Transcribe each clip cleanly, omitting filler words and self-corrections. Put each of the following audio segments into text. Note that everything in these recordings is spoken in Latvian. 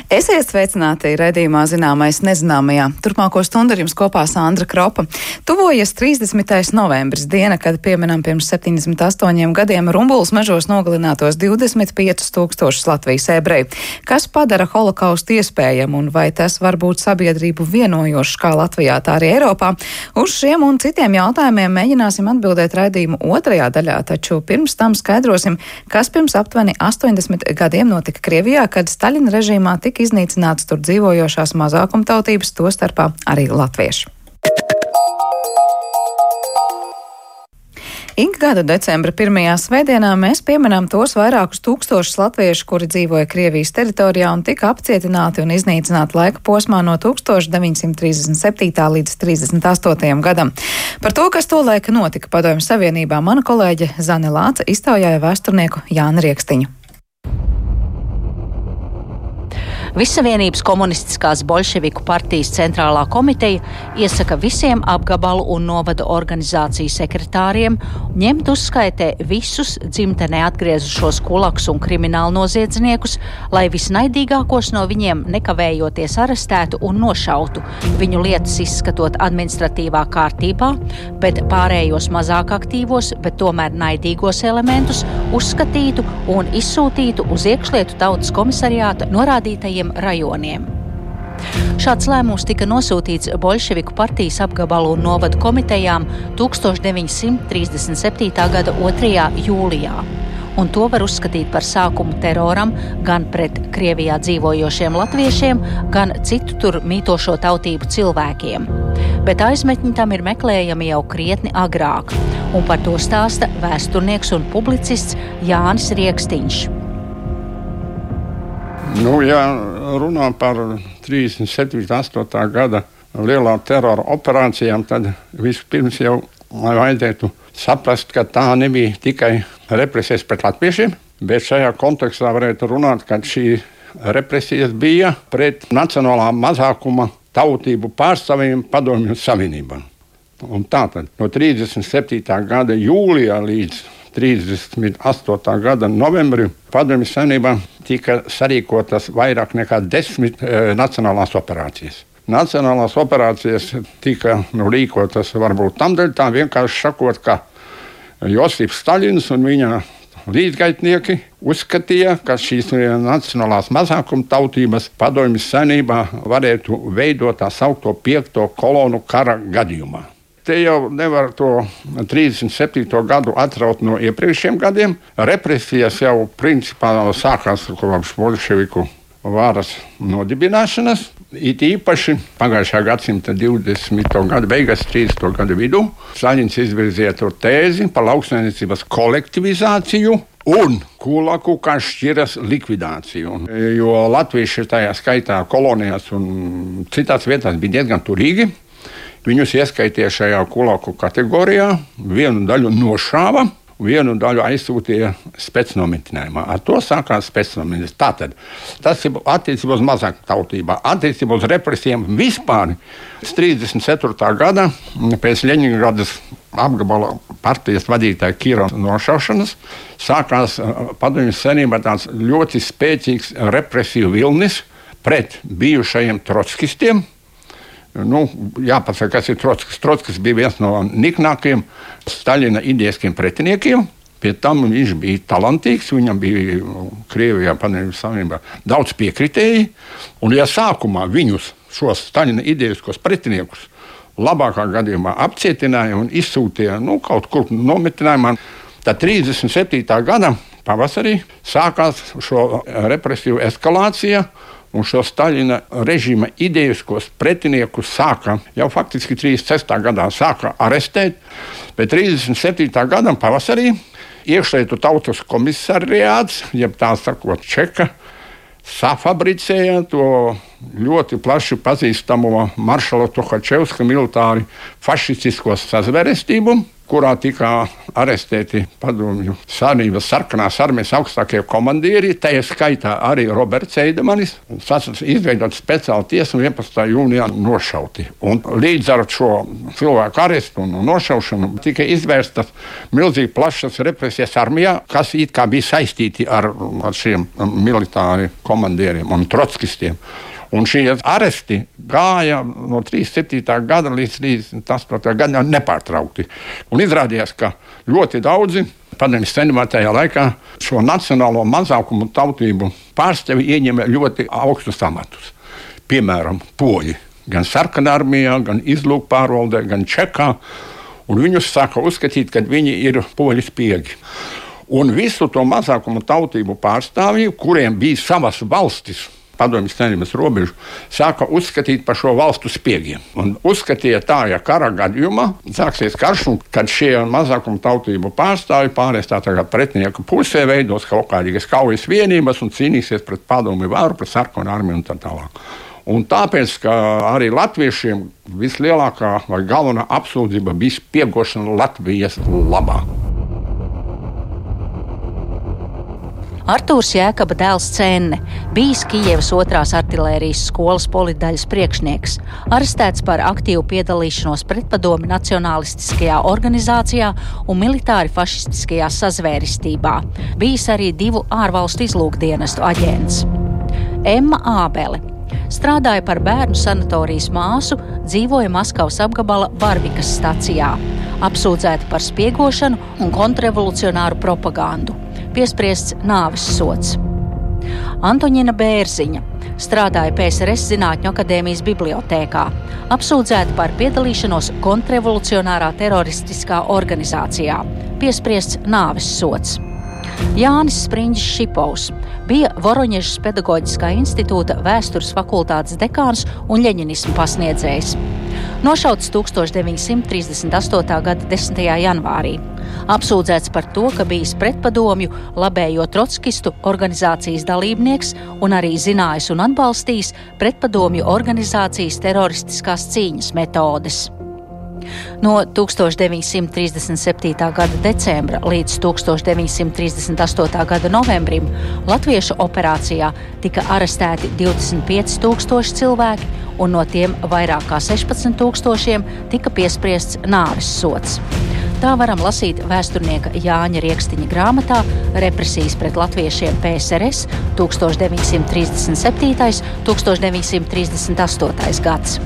Esiet sveicināti raidījumā Zināmais nezināmajā. Turpmāko stundu ar jums kopā Sandra Kropa. Tuvojas 30. novembris, diena, kad pieminam pirms 78 gadiem Rumbulas mežos nogalinātos 25 000 Latvijas ebreju. Kas padara holokaustu iespējamu un vai tas var būt sabiedrību vienojošs kā Latvijā, tā arī Eiropā? Uz šiem un citiem jautājumiem mēģināsim atbildēt raidījumu otrajā daļā, taču pirms tam skaidrosim, kas pirms aptuveni 80 gadiem notika Krievijā, kad Staļina režīmā tika iznīcināts tur dzīvojošās mazākumtautības, tostarpā arī latvieši. Ik gada decembra pirmajā svētdienā mēs pieminām tos vairākus tūkstošus latviešu, kuri dzīvoja Krievijas teritorijā un tika apcietināti un iznīcināti laika posmā no 1937. līdz 38. gadam. Par to, kas tolaik notika Padomju Savienībā, mana kolēģe Zane Lāce iztaujāja vēsturnieku Jāni Riekstiņu. Vissavienības komunistiskās Boļševiku partijas centrālā komiteja iesaka visiem apgabalu un novada organizāciju sekretāriem ņemt uzskaitē visus dzimtenē atgriezušos kulaks un kriminālu noziedzniekus, lai visnaidīgākos no viņiem nekavējoties arestētu un nošautu, viņu lietas izskatot administratīvā kārtībā, bet pārējos mazāk aktīvos, bet tomēr naidīgos elementus uzskatītu un izsūtītu uz iekšlietu tautas komisariāta norādītajiem rajoniem. Šāds lēmums tika nosūtīts Boļševiku partijas apgabalu un novadu komitejām 1937. gada 2. jūlijā. Un to var uzskatīt par sākumu teroram gan pret Krievijā dzīvojošiem latviešiem, gan citu tur mītošo tautību cilvēkiem. Bet aizmetņi tam ir meklējami jau krietni agrāk, un par to stāsta vēsturnieks un publicists Jānis Riekstiņš. Ja runā par 37. gada lielā terora operācijām, tad vispirms jau vajadzētu saprast, ka tā nebija tikai represijas pret latviešiem, bet šajā kontekstā varētu runāt, ka šī represijas bija pret nacionālā mazākuma tautību pārstāvjiem Padomju Savienībā. Un tātad no 37. gada jūlijā līdz 38. gada novembrim Padomju Savienībā tika sarīkotas vairāk nekā 10 nacionālās operācijas. Nacionālās operācijas tika rīkotas varbūt tamdēļ, tā vienkārši sakot, ka Josips Staļins un viņa līdzgaitnieki uzskatīja, ka šīs nacionālās mazākuma tautības Padomju Savienībā varētu veidot tā saukto 5. kolonu kara gadījumā. Te jau nevar to 37. gadu atraut no iepriekšējiem gadiem. Represijas jau principā sākās kopš Boļševiku varas nodibināšanas. It īpaši pagājušā gadsimta 20. gada beigās, 30. gada vidū, Staļins izvirzīja to tēzi par lauksaimniecības kolektivizāciju un kulaku kā šķiras likvidāciju. Jo latvieši tajā skaitā kolonijās un citās vietās bija diezgan turīgi. Viņus ieskaitīja šajā kulaku kategorijā, vienu daļu nošāva, vienu daļu aizsūtīja specnomitinājumā. Ar to sākās specnomitinājums. Tātad tas ir attiecībā uz mazāk tautībā, attiecībā uz represijām vispār. 34. gada pēc Ļeņingradas apgabala partijas vadītāja Kirova nošaušanas sākās Padomju Savienībā tāds ļoti spēcīgs represiju vilnis pret bijušajiem trotskistiem. Jāpasaka, kas ir Trotskis. Trotskis bija viens no niknākajiem Staļina idejiskiem pretiniekiem. Pie tam viņš bija talantīgs, viņam bija Krievijā, Padomju Savienībā daudz piekritēji. Un ja sākumā viņus, šos Staļina idejiskos pretiniekus, labākā gadījumā apcietināja un izsūtīja kaut kur nometinājumā, tad 37. gada pavasarī sākās šo represiju eskalācija. Un šo Staļina režīma idejiskos pretiniekus sāka jau faktiski 36. gadā sāka arestēt, bet 37. gadam pavasarī iekšlietu tautas komisariāts, jeb tā sakot Čeka, safabricēja to ļoti plaši pazīstamo maršala Tuhačevska militāri fašistisko sazvērestību. kurā tika arestēti padomju savienības sarkanās armijas augstākie komandieri, tajā skaitā arī Roberts Eidemanis. Izveidot speciālu tiesu un 11. jūnijā nošauti. Un līdz ar šo cilvēku arestu un nošaušanu tika izvērstas milzīgi plašas represijas armijā, kas it kā bija saistīti ar šiem militāri komandieriem un trotskistiem. Un šie aresti gāja no 37. gada līdz 38. gadam nepārtraukti. Un izrādījās, ka ļoti daudzi padomju savienībā tajā laikā šo nacionālo mazākumu tautību pārstāvji ieņēma ļoti augstus amatus. Piemēram, poļi. Gan sarkanā armijā, gan izlūkpārvaldē, gan Čekā. Un viņus sāka uzskatīt, ka viņi ir poļu spiegi. Un visu to mazākumu tautību pārstāvji, kuriem bija savas valstis, padomju savienības robežu, sāka uzskatīt par šo valstu spiegiem. Un uzskatīja tā, ja kara gadījumā sāksies karš, un kad šie mazākumu tautību pārstāvji pārēs tā kā pretinieku pusē, veidos kaut kādas kaujas vienības un cīnīsies pret padomju varu, pret sarkanu armiju un tā tālāk. Un tāpēc, ka arī latviešiem vislielākā vai galvenā apsūdzība bija spiegošana Latvijas labā. Artūrs Jēkaba dēls Cenne, bijis Kijevas 2. artilērijas skolas politdaļas priekšnieks, arestēts par aktīvu piedalīšanos pretpadomju nacionālistiskajā organizācijā un militāri fašistiskajā sazvērestībā. Bijis arī 2 ārvalstu izlūkdienestu aģents. Emma Ābele strādāja par bērnu sanatorijas māsu, dzīvoja Maskavas apgabala Barvikas stacijā, apsūdzēta par spiegošanu un kontrrevolucionāru propagandu. Piespriests nāves sods. Antoņina Bērziņa strādāja PSRS Zinātņu akadēmijas bibliotēkā, apsūdzēta par piedalīšanos kontrrevolucionārā teroristiskā organizācijā. Piespriests nāves sods. Jānis Spriņģis Šipovs bija Voroņežas pedagoģiskā institūta vēstures fakultātes dekāns un ļeņinismu pasniedzējs. Nošauts 1938. gada 10. janvārī. Apsūdzēts par to, ka bijis pretpadomju labējo trotskistu organizācijas dalībnieks un arī zinājis un atbalstījis pretpadomju organizācijas teroristiskās cīņas metodes. No 1937. gada decembra līdz 1938. gada novembrim latviešu operācijā tika arestēti 25,000 cilvēki, un no tiem vairāk kā 16,000 tika piespriests nāves sods. Tā varam lasīt vēsturnieka Jāņa Riekstiņa grāmatā Represijas pret latviešiem PSRS 1937. 1938. gads.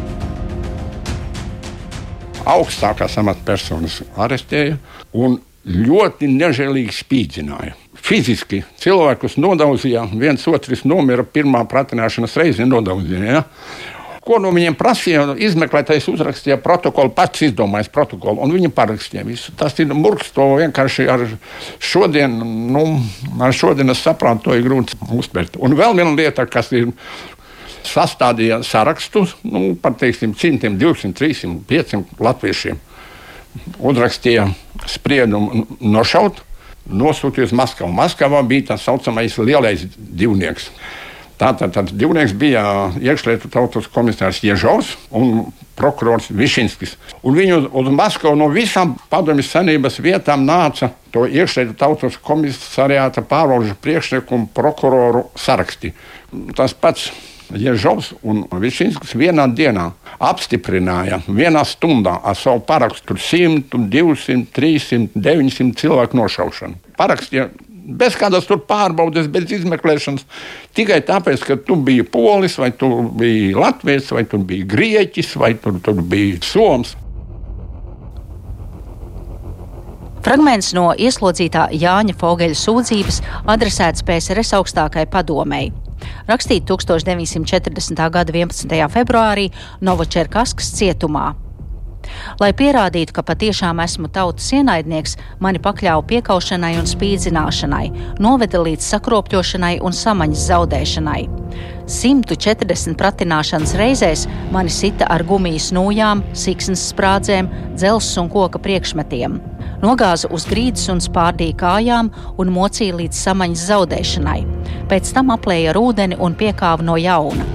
Augstākās amatpersonas arestēja un ļoti nežēlīgi spīdzināja. Fiziski cilvēkus nodauzīja, viens otrs nomira pirmā pratināšanas reizi nodauzīja. Ja? Ko no viņiem prasīja, izmeklētājs uzrakstīja protokolu, pats izdomājis protokolu, un viņi parakstīja visu. Tas ir murgs, to vienkārši ar šodienas saprātu to ir grūti uztvert. Un vēl viena lieta, kas ir sastādīja sarakstus, par teiksim 100, 200, 300, 500 latviešiem. Uzrakstīja spriedumu nošaut, nosūtīja uz Maskavu. Maskavā bija tā saucamais lielais divnieks. Tātad divnieks bija iekšlietu tautas komisārs Ježovs un prokurors Višinskis. Un viņu uz Maskavu no visām padomju savienības vietām nāca to iekšlietu tautas komisariāta pārvalžu priekšnieku un prokuroru saraksti. Tas pats Ježovs un Višinskis vienā dienā apstiprināja vienā stundā ar savu parakstu 100, 200, 300, 900 cilvēku nošaušanu. Parakstīja bez kādas tur pārbaudes, bez izmeklēšanas, tikai tāpēc, ka tu biji polis, vai tu biji latvietis, vai tu biji grieķis, vai tu biji soms. Fragments no ieslodzītā Jāņa Fogeļa sūdzības adresēts PSRS augstākai padomei. Rakstīt 1940. gada 11. februārī Novočerkaskas cietumā. Lai pierādītu, ka patiešām esmu tautas ienaidnieks, mani pakļāva piekaušanai un spīdzināšanai, noveda līdz sakropļošanai un samaņas zaudēšanai. 140 pratināšanas reizēs mani sita ar gumijas nūjām, siksnas sprādzēm, dzelzs un koka priekšmetiem. Nogāza uz grīdas un spārdīja kājām un mocīja līdz samaņas zaudēšanai. Pēc tam aplēja ar ūdeni un piekāva no jauna.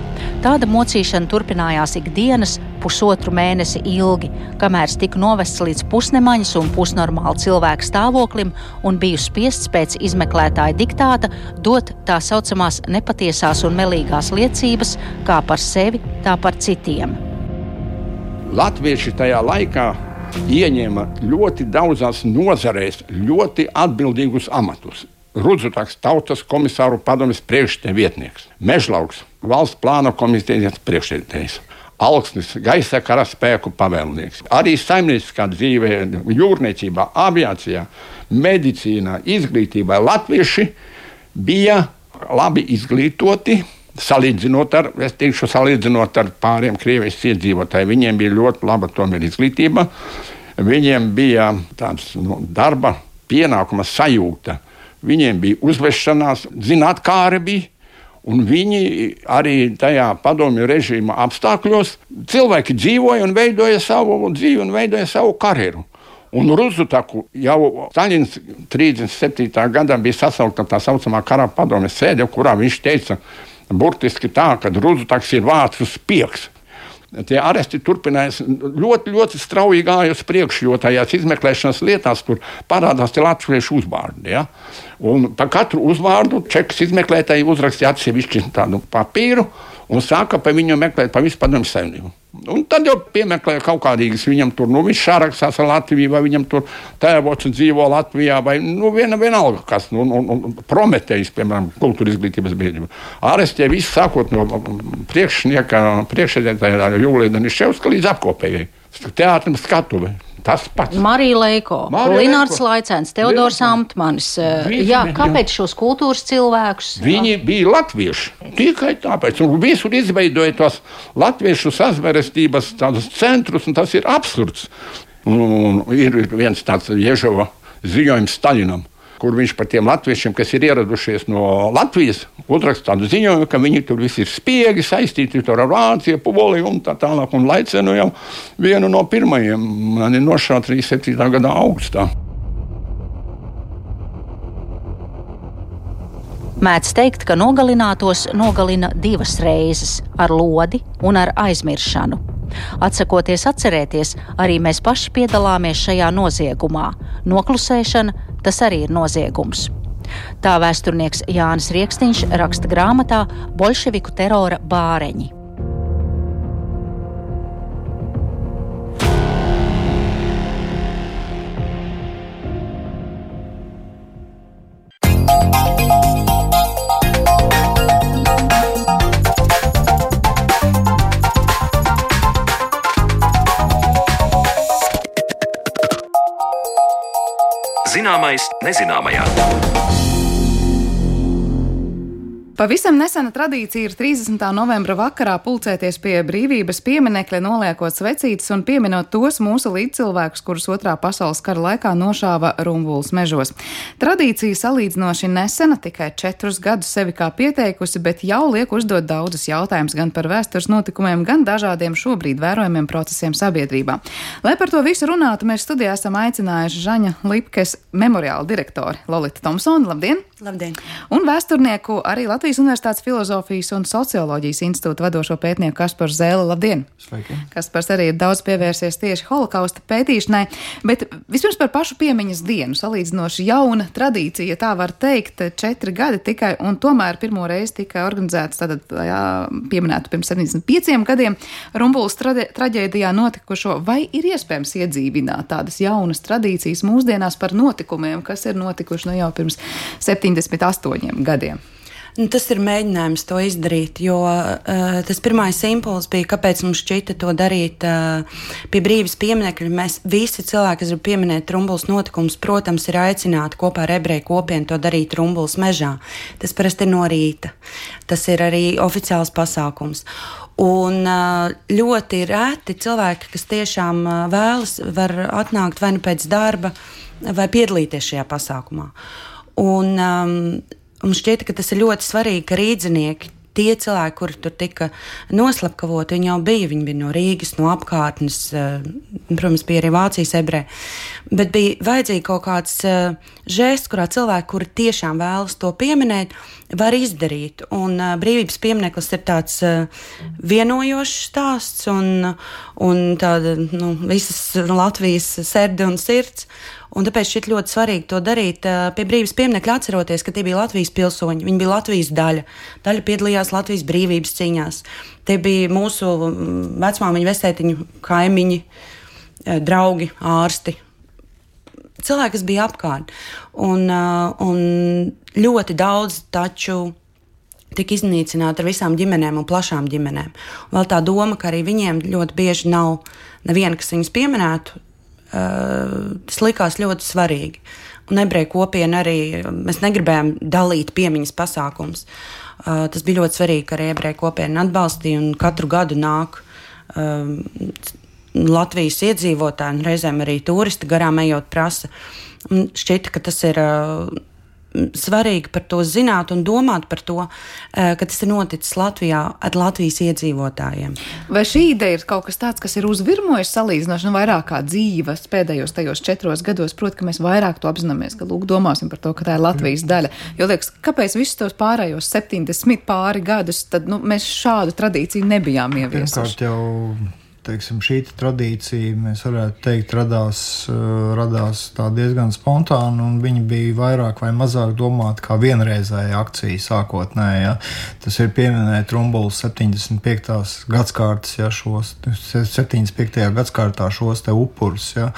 Tāda mocīšana turpinājās ikdienas pusotru mēnesi ilgi, kamēr tika novests līdz pusnemaņas un pusnormāla cilvēka stāvoklim un biju spiests pēc izmeklētāja diktāta dot tā saucamās nepatiesās un melīgās liecības kā par sevi, tā par citiem. Latvieši tajā laikā ieņēma ļoti daudzās nozarēs ļoti atbildīgus amatus. Rudzutaks tautas komisāru padomes priekšsēdētāja vietnieks, Mežlauks valsts plāna komitejas priekšsēdētājs, Alksnis gaisa karaspēku pavēlnieks. Arī saimnieciskā dzīvē, jūrniecībā, aviācijā, medicīnā, izglītībā latvieši bija labi izglītoti. Salīdzinot ar pāriem Krievijas iedzīvotājiem, viņiem bija ļoti laba tomēr izglītība. Viņiem bija tāds darba pienākuma sajūta. Viņiem bija uzvešanās, zinātkāri bija, un viņi arī tajā padomju režīma apstākļos cilvēki dzīvoja un veidoja savu dzīvi un veidoja savu karjeru. Un Rudzutaku jau Staļins 37. gadā bija sasaukta tā saucamā kara padomes sēde, kurā viņš teica, burtiski tā, ka Rudzutaks ir vācu spiegs. Tie aresti turpinājās ļoti, ļoti strauji gāja uz priekšu, jo tajās izmeklēšanas lietās tur parādās tie latviešu uzvārdi. Ja? Un par katru uzvārdu čekas izmeklētāji uzrakstīja atsevišķi tādu papīru un sāka pa viņu meklēt pa visu padomju saimnieku. Un tad jau piemeklēja kaut kādīgas viņam tur, viņš sarakstās ar Latviju, vai viņam tur tēvots dzīvo Latvijā, vai vienalga kas, Prometējs, piemēram, kultūra izglītības biedrība. Arestē visu sākot no priekšsēdētāja Jūlija Daniševska līdz apkopējai. Teātrim skatuve. Tas pats. Marija Leiko, Linārds Laicēns, Teodors Amtmanis. Kāpēc šos kultūras cilvēkus? Viņi bija latvieši. Tikai tāpēc. Un visur izveidoja tos latviešu sazvērestības tādus centrus, un tas ir absurds. Un ir viens tāds Ježova ziņojums Staļinam, kur viņš par tiem latviešiem, kas ir ieradušies no Latvijas, uzraksta tādu ziņojumu, ka viņi tur visi ir spiegi, saistīti ar Vāciju, Poliju un tā tālāk. Un Laicēnu jau vienu no pirmajiem mani nošāva 37. gada augustā. Mēdz teikt, ka nogalinātos nogalina 2 reizes – ar lodi un ar aizmiršanu. Atsakoties atcerēties, arī mēs paši piedalāmies šajā noziegumā. Noklusēšana – tas arī ir noziegums. Tā vēsturnieks Jānis Riekstiņš raksta grāmatā Boļševiku terora bāreņi. Zināmais nezināmajā. Pavisam nesena tradīcija ir 30. novembra vakarā pulcēties pie brīvības pieminekļa, noliekot svecītes un pieminot tos mūsu līdzcilvēkus, kurus Otrā pasaules kara laikā nošāva Rumbulas mežos. Tradīcija salīdzinoši nesena, tikai 4 gadus sevi kā pieteikusi, bet jau liek uzdot daudzus jautājumus gan par vēstures notikumiem, gan dažādiem šobrīd vērojamiem procesiem sabiedrībā. Lai par to visu runātu, mēs studijā esam aicinājuši Žaņa Lipkes memoriāla direktori Lolitu Tomsonu. Labdien! Labdien! Un vēsturnieku arī Latvijas Universitātes Filozofijas un Socioloģijas institūta vadošo pētnieku Kasparu Zēli. Labdien! Sveiki! Kaspars arī ir daudz pievērsies tieši holokausta pētīšanai, bet vispirms par pašu piemiņas dienu. Salīdzinoši jauna tradīcija, ja tā var teikt, 4 gadi tikai, un tomēr pirmo reizi tika organizēts, tātad pieminētu pirms 75 gadiem, Rumbulas traģēdijā notikušo. Vai ir iespējams iedzīvināt tādas jaunas tradīcijas mūsdienās par notikumiem, kas ir notikuši jau pirms 78 gadiem? Tas ir mēģinājums to izdarīt, jo tas pirmais impulss bija, kāpēc mums šķita to darīt pie brīvības pieminekļa. Mēs visi cilvēki, kas grib pieminēt Rumbulas notikumus, protams, ir aicināti kopā ar ebreju kopienu to darīt Rumbulas mežā. Tas parasti ir no rīta. Tas ir arī oficiāls pasākums. Un ļoti reti cilvēki, kas tiešām vēlas, var atnākt vai nu pēc darba, vai piedalīties šajā pasākumā. Un mums šķiet, ka tas ir ļoti svarīgi, ka rīdzinieki, tie cilvēki, kuri tur tika noslapkavoti, viņi jau bija no Rīgas, no apkārtnes, protams, bija arī Vācijas ebreji, bet bija vajadzīgi kaut kāds žests, kurā cilvēki, kuri tiešām vēlas to pieminēt, var izdarīt. Un brīvības piemineklis ir tāds vienojošs stāsts un tāda visas Latvijas sērde un sirds. Un tāpēc šķiet ļoti svarīgi to darīt pie brīvības pieminekļa, atceroties, ka tie bija Latvijas pilsoņi, viņi bija Latvijas daļa. Daļa piedalījās Latvijas brīvības cīņās. Tie bija mūsu vecmāmiņu, vectētiņu, kaimiņi, draugi, ārsti. Cilvēki, kas bija apkārt. Un ļoti daudz taču tika iznīcināti ar visām ģimenēm un plašām ģimenēm. Un vēl tā doma, ka arī viņiem ļoti bieži nav neviena, kas viņus pieminētu, tas likās ļoti svarīgi. Un ebreju kopiena arī, mēs negribējām dalīt piemiņas pasākums. Tas bija ļoti svarīgi, ka arī ebreju kopiena atbalstīja un katru gadu nāk Latvijas iedzīvotāji un reizēm arī turisti garām ejot prasa. Un šķita, ka tas ir svarīgi par to zināt un domāt par to, ka tas ir noticis Latvijā ar Latvijas iedzīvotājiem. Vai šī ideja ir kaut kas tāds, kas ir uzvirmojis salīdzinoši vairāk kā dzīves pēdējos tajos 4 gados? Proti, ka mēs vairāk to apzināmies, ka domāsim par to, ka tā ir Latvijas daļa. Jo liekas, kāpēc visus tos pārējos 70 pāri gadus, tad mēs šādu tradīciju nebijām ieviesuši? Teiksim, šī tradīcija, mēs varētu teikt, radās tā diezgan spontāni, un viņi bija vairāk vai mazāk domāti kā vienreizēja akcija sākotnēji. Ja. Tas ir pieminēt Rumbulas 75. gadskārtas, ja, 75. gadskārtā šos te upurus. Ja.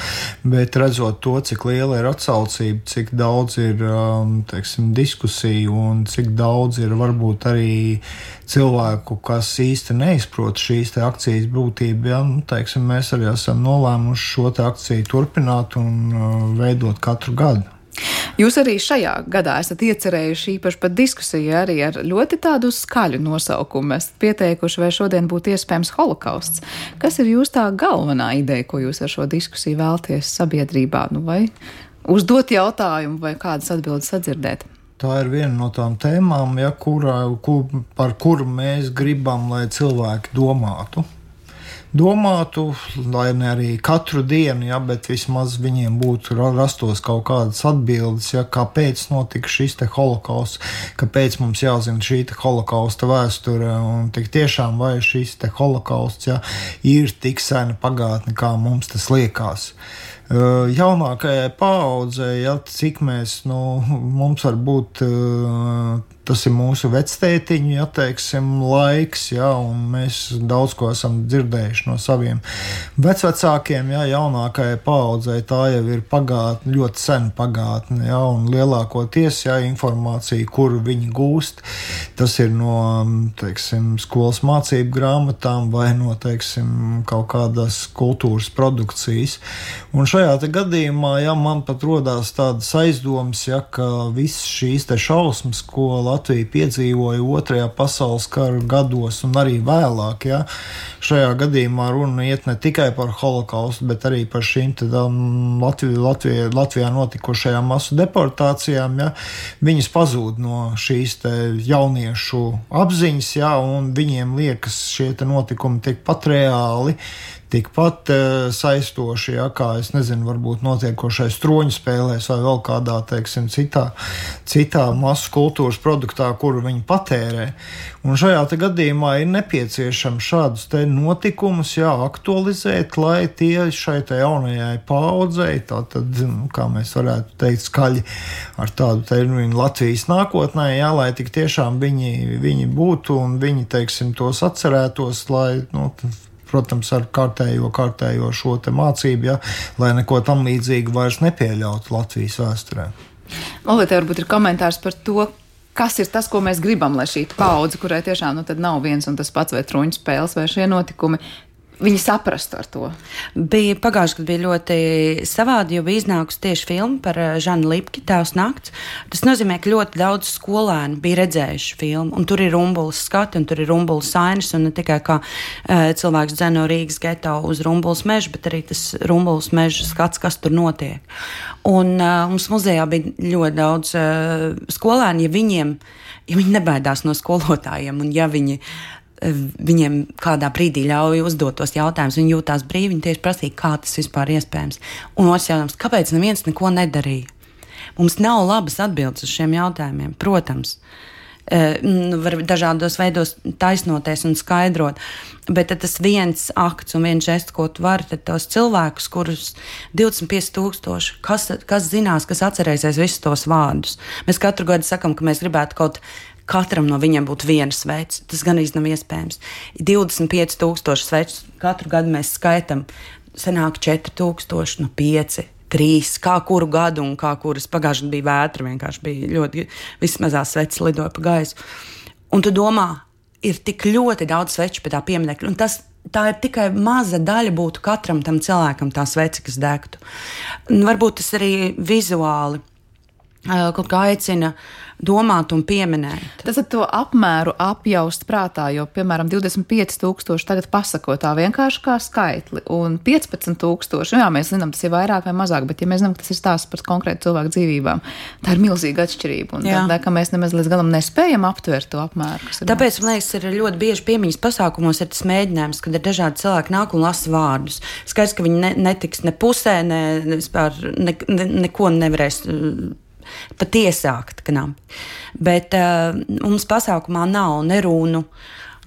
Bet redzot to, cik liela ir atsaucība, cik daudz ir teiksim, diskusiju un cik daudz ir varbūt arī cilvēku, kas īsti neizprot šīs te akcijas būtību, ja, teiksim, mēs arī esam nolēmuši šo te akciju turpināt un veidot katru gadu. Jūs arī šajā gadā esat iecerējuši īpaši pat diskusiju arī ar ļoti tādu skaļu nosaukumu. Esat pieteikuši, vai šodien būtu iespējams holokausts. Kas ir jūs tā galvenā ideja, ko jūs ar šo diskusiju vēlties sabiedrībā? Vai uzdot jautājumu, vai kādas atbildes sadzirdēt? Tā ir viena no tām tēmām, ja, par kuru mēs gribam, lai cilvēki domātu. Lai ne arī katru dienu, ja, bet vismaz viņiem būtu rastos kaut kādas atbildes, ja, kāpēc notika šis te holokausts, kāpēc mums jāzina šī te holokausta vēsture, un tik tiešām vai šis te holokausts, ja, ir tik sena pagātne, kā mums tas liekas. Jaunākajai paaudzei, ja, cik mēs, mums var būt, tas ir mūsu vectētiņu, ja, teiksim, laiks, ja, un mēs daudz ko esam dzirdējuši no saviem vecvecākiem, ja, jaunākajai paaudzei tā jau ir pagātne, ļoti sena pagātne, ja, un lielākoties, ja, informācija, kuru viņi gūst, tas ir no, teiksim, skolas mācību grāmatām vai no, teiksim, kaut kādas kultūras produkcijas. Un šajā te gadījumā, ja, man pat rodās tādas aizdomas, ja, ka visas šīs te šausmas, ko Latvija piedzīvoja 2. pasaules kara gados un arī vēlāk, ja, šajā gadījumā runa iet ne tikai par holokaustu, bet arī par šīm Latvijā notikušajām masu deportācijām, ja, viņas pazūd no šīs te jauniešu apziņas, ja, un viņiem liekas šie te notikumi tikpat reāli, tikpat saistoši, ja, kā, es nezinu, varbūt notiekošais troņu spēlēs vai vēl kādā, teiksim, citā masu kultūras produktā, kuru viņi patērē. Un šajā te gadījumā ir nepieciešams šādus te notikumus, jā, aktualizēt, lai tie šai te jaunajai paaudzei, tātad, kā mēs varētu teikt, skaļi ar tādu terminu Latvijas nākotnē, jā, lai tik tiešām viņi būtu un viņi, teiksim, tos atcerētos, lai, protams, ar kārtējo šo te mācību, ja, lai neko tam līdzīgu vairs nepieļautu Latvijas vēsturē. Olīte, varbūt ir komentārs par to, kas ir tas, ko mēs gribam, lai šī paudze, kurai tiešām tad nav viens un tas pats vai troņu spēles vai šie notikumi, viņi saprastu ar to. Pagājuši, kad bija ļoti savādi, jo bija iznākusi tieši filma par Žanu Lipki, Tēvs nakts. Tas nozīmē, ka ļoti daudz skolēnu bija redzējuši filmu, un tur ir Rumbulas skati, un tur ir Rumbulas ainas, un ne tikai kā cilvēks dzeno Rīgas geto uz Rumbulas mežu, bet arī tas Rumbulas meža skats, kas tur notiek. Un mums muzejā bija ļoti daudz skolēnu, ja viņi nebaidās no skolotājiem, un ja viņiem kādā brīdī ļauj uzdot tos jautājumus, viņi jūtās brīvi, viņi tieši prasīja, kā tas vispār iespējams. Un otrs jautājums, kāpēc neviens neko nedarīja? Mums nav labas atbildes uz šiem jautājumiem, protams. var dažādos veidos taisnoties un skaidrot. Bet tas viens akts un viens žests, ko tu vari, tad tos cilvēkus, kurus 25,000, kas zinās, kas atcerēsies visus tos vārdus. Mēs katru gadu sakam, ka mēs gribētu katram no viņiem būtu viena sveca. Tas gan īsti nav iespējams. 25,000 svečus katru gadu mēs skaitam. Sanāk 4,000, 5, 3, kā kuru gadu un kā kuras pagājušajā bija vētra. Vienkārši bija ļoti, visas mazās sveces lidoja pa gaisu. Un tu domā, ir tik ļoti daudz sveču pie tā pieminekļa. Un tā ir tikai maza daļa būtu katram tam cilvēkam tā svece, kas degtu. Un varbūt tas arī vizuāli kaut kā aicina domāt un pieminēt. Tas ar to apmēru apjaust prātā, jo, piemēram, 25,000 tagad pasako tā vienkārši kā skaitli, un 15,000, jā, mēs zinām, tas ir vairāk vai mazāk, bet ja mēs zinām, ka tas ir stāsts par konkrētu cilvēku dzīvībām, tā ir milzīga atšķirība, un tā, ka mēs nemaz līdz galam nespējam aptvert to apmēru. Tāpēc, man liekas, ir ļoti bieži piemiņas pasākumos ir tas mēģinājums, kad ir dažādi cilvēki nāk un lasa vārdus. Skaidrs, ka viņi netiks ne pusē, neko nevarēs pat iesākt, bet mums pasākumā nav ne runu,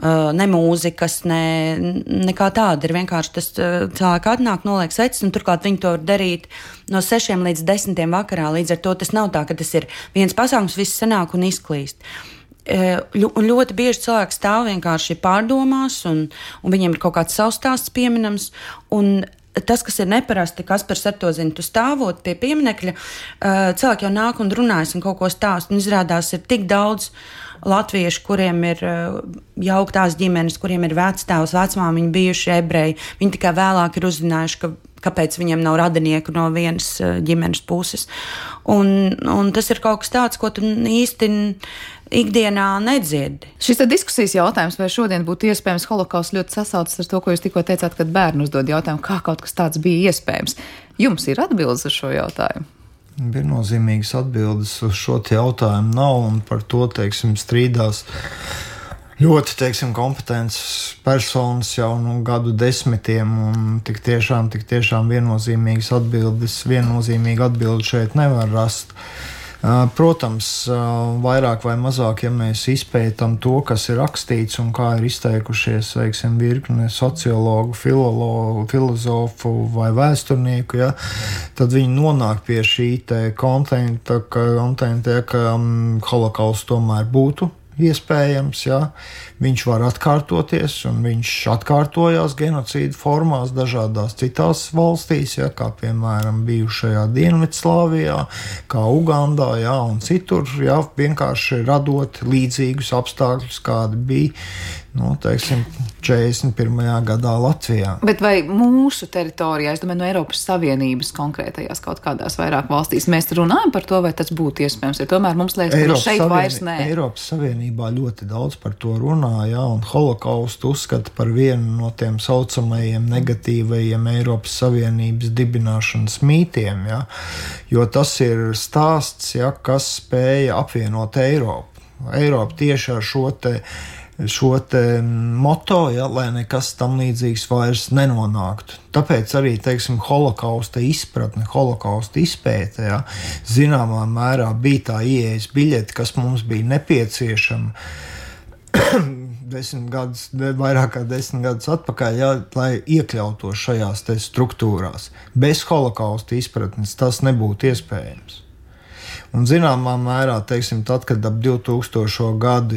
ne mūzikas, nekā tāda. Ir vienkārši tas cilvēki atnāk, noliek sveces, un turklāt viņi to var darīt no 6 līdz 10 vakarā. Līdz ar to tas nav tā, ka tas ir viens pasākums, viss sanāk un izklīst. Un ļoti bieži cilvēki stāv vienkārši pārdomās, un viņiem ir kaut kāds savs stāsts pieminams, un tas, kas ir neparasti, Kaspars ar to zina, tu stāvot pie pieminekļa, cilvēki jau nāk un runājas un kaut ko stāst, un izrādās ir tik daudz latviešu, kuriem ir jauktās ģimenes, kuriem ir vectēvs, vecmāmiņi bijuši ebreji, viņi tikai vēlāk ir uzzinājuši, kāpēc viņiem nav radinieku no vienas ģimenes puses. Un tas ir kaut kas tāds, ko tu īsti ikdienā nedzirdi. Šis diskusijas jautājums, vai šodien būtu iespējams holokausts, ļoti sasaucas ar to, ko jūs tikko teicāt, kad bērni uzdod jautājumu, kā kaut kas tāds bija iespējams. Jums ir atbildes uz šo jautājumu? Viennozīmīgas atbildes uz šo jautājumu nav, un par to, strīdās ļoti, kompetents personas jau gadu desmitiem, un tik tiešām viennozīmīgas atbildes, viennozīmīgu atbildi šeit nevar rast. Protams, vairāk vai mazāk, ja mēs izpētam to, kas ir rakstīts un kā ir izteikušies, virkne sociologu, filozofu vai vēsturnieku, tad viņi nonāk pie šī kontenta, ka holokausts tomēr būtu iespējams, viņš var atkārtoties, un viņš atkārtojās genocīda formās dažādās citās valstīs, kā piemēram bijušajā Dienvidslāvijā, kā Ugandā, un citur, vienkārši radot līdzīgus apstākļus, kādi bija, 41. gadā Latvijā. Bet vai mūsu teritorijā, es domāju, no Eiropas Savienības konkrētajās kaut kādās vairāk valstīs, mēs runājam par to, vai tas būtu iespējams, jo tomēr mums liekas, ka šeit vairs nē. Eiropas Savienībā ļoti daudz par to runā, un holokaustu uzskata par vienu no tiem saucamajiem negatīvajiem Eiropas Savienības dibināšanas mītiem, jo tas ir stāsts, kas spēja apvienot Eiropu. Eiropa tieši ar šo moto, lai nekas tam līdzīgs vairs nenonāktu. Tāpēc arī, holokausta izpratne, holokausta izpēte, zināmā mērā bija tā ieejas biļete, kas mums bija nepieciešama vairāk kā 10 gadus atpakaļ, lai iekļautos šajās struktūrās. Bez holokausta izpratnes tas nebūtu iespējams. Un zināmā mērā, tad, kad ap 2000. gadu,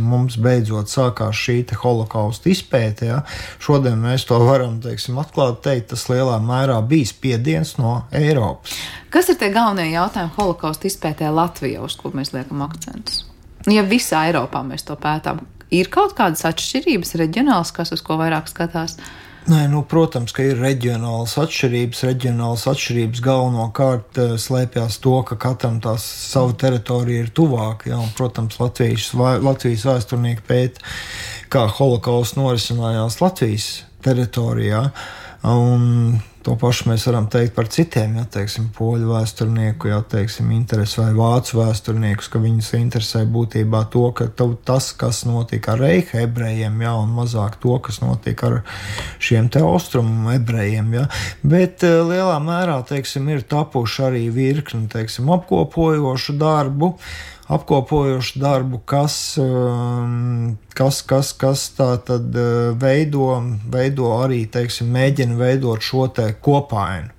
mums beidzot sākās šī holokausta izpēte, šodien mēs to varam, atklāt teikt, tas lielā mērā bija spiediens no Eiropas. Kas ir tie galvenie jautājumi holokausta izpētē Latvijā, uz ko mēs liekam akcentus? Ja visā Eiropā mēs to pētām, ir kaut kādas atšķirības reģionāls, kas uz ko vairāk skatās? Nē, protams, ka ir reģionālas atšķirības. Reģionālas atšķirības galvenokārt slēpjas to, ka katram tās savu teritoriju ir tuvāk. Un, protams, Latvijas vēsturnieki pēta, kā holokausts norisinājās Latvijas teritorijā. Un to pašu mēs varam teikt par citiem, poļu vēsturnieku, interesi vai vācu vēsturniekus, ka viņus interesē būtībā to, ka tas, kas notika ar reiha ebrejiem, un mazāk to, kas notika ar šiem austrumu ebrejiem, Bet lielā mērā, ir tapuši arī virkni, apkopojošu darbu, apkopojošu darbu, kas tā tad veido arī, teiksim, mēģina veidot šo te kopainu.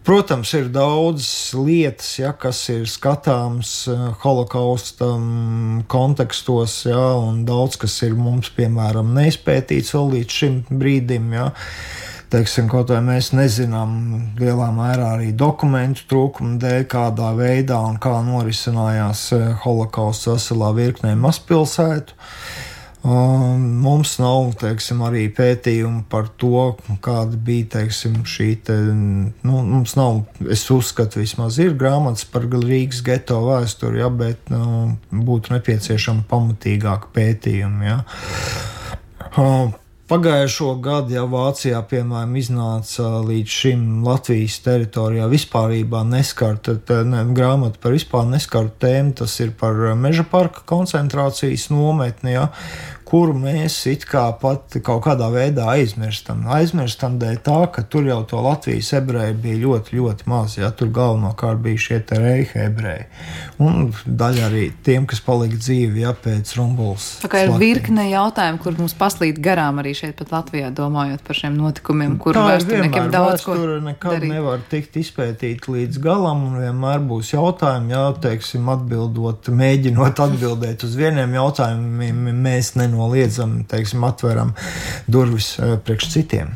Protams, ir daudz lietas, kas ir skatāms holokausta kontekstos, un daudz, kas ir mums, piemēram, neizpētīts vēl līdz šim brīdim, Teiksim, kaut vai mēs nezinām lielā mērā arī dokumentu trūkumu dēļ, kādā veidā un kā norisinājās holokausts veselā virknē mazpilsētu. Mums nav, teiksim, arī pētījumi par to, kāda bija, teiksim, šī te, mums nav, es uzskatu, vismaz ir grāmatas par Rīgas geto vēsturi, bet būtu nepieciešama pamatīgāka pētījuma, Pagājušo gadu, Vācijā, piemēram, iznāca līdz šim Latvijas teritorijā vispārībā neskarta grāmata par vispār neskartu tēmu, tas ir par meža parka koncentrācijas nometni, kuru mēs it kā pat kaut kādā veidā aizmirstam. Aizmirstam dēļ tā, ka tur jau to Latvijas ebreji bija ļoti, ļoti maz, tur galvenokārt bija šie te reiha ebreji. Un daļa arī tiem, kas palika dzīvi, pēc Rumbulas. Tā kā ir virkne jautājumu, kur mums paslīd garām arī šeit pat Latvijā, domājot par šiem notikumiem, kur vēsturniekiem daudz ko nekad darīt. Nevar tikt izpētīt līdz galam, un vienmēr būs jautājumi, teiksim, mēģinot atbildēt uz vieniem jautājumiem, mēs nenoliedzam, teiksim, atveram durvis priekš citiem.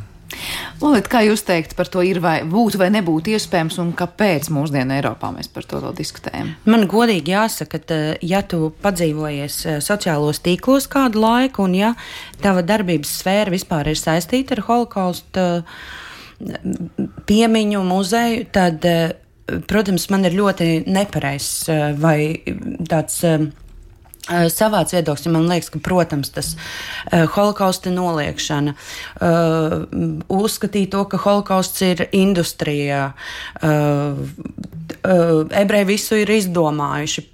Lolita, kā jūs teikt par to ir vai būtu vai nebūtu iespējams un kāpēc mūsdienu Eiropā mēs par to vēl diskutējam? Man godīgi jāsaka, ka ja tu padzīvojies sociālos tīklos kādu laiku un ja tava darbības sfēra vispār ir saistīta ar holokausta piemiņu muzeju, tad, protams, man ir ļoti nepareizs vai tāds savāds viedoklis, man liekas, ka, protams, tas holokausta noliekšana, uzskatīt to, ka holokausts ir industrijā, ebreji visu ir izdomājuši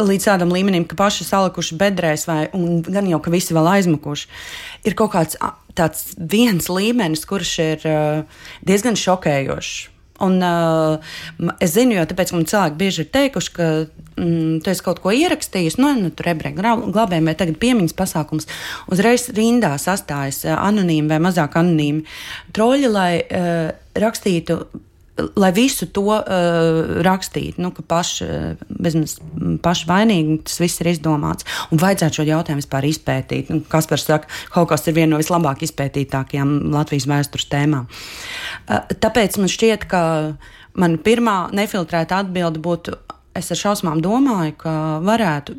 līdz tādam līmenim, ka paši salikuši bedrēs un gan jau, ka visi vēl aizmukuši. Ir kaut kāds tāds viens līmenis, kurš ir diezgan šokējošs. Un es zinu, jo tāpēc, ka man cilvēki bieži ir teikuši, ka tu esi kaut ko ierakstījis, tur ebreju glābējiem vai tagad piemiņas pasākums, uzreiz rindā sastājas anonīmi vai mazāk anonīmi troļi, lai rakstītu, lai visu to rakstītu, ka paši vainīgi tas viss ir izdomāts. Un vajadzētu šo jautājumu vispār izpētīt. Kaspars saka, holokausts ir viena no vislabāk izpētītākajām Latvijas vēstures tēmām. Tāpēc man šķiet, ka man pirmā nefiltrēta atbilde būtu, es ar šausmām domāju, ka varētu.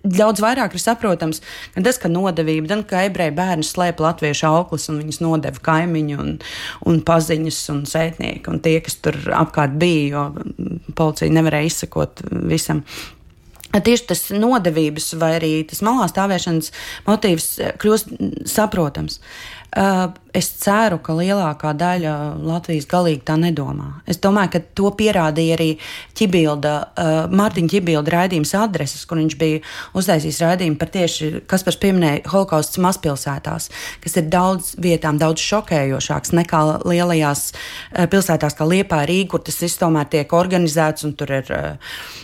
Daudz vairāk ir saprotams, ka tas, ka nodevība, gan ka ebreju bērni slēpa latviešu auklis un viņus nodeva kaimiņu un paziņas un sētnieki un tie, kas tur apkārt bija, jo policija nevarēja izsekot visam. Tieši tas nodevības vai arī tas malā stāvēšanas motīvs kļūst saprotams. Es ceru, ka lielākā daļa Latvijas galīgi tā nedomā. Es domāju, ka to pierādīja arī Mārtiņa Ķibilda raidījums Adreses, kur viņš bija uztaisījis raidījumu par tieši, Kaspars pieminēja, holokausts mazpilsētās, kas ir daudz vietām daudz šokējošāks nekā lielajās pilsētās kā Liepāja, Rīga, kur tas viss tomēr tiek organizēts un tur ir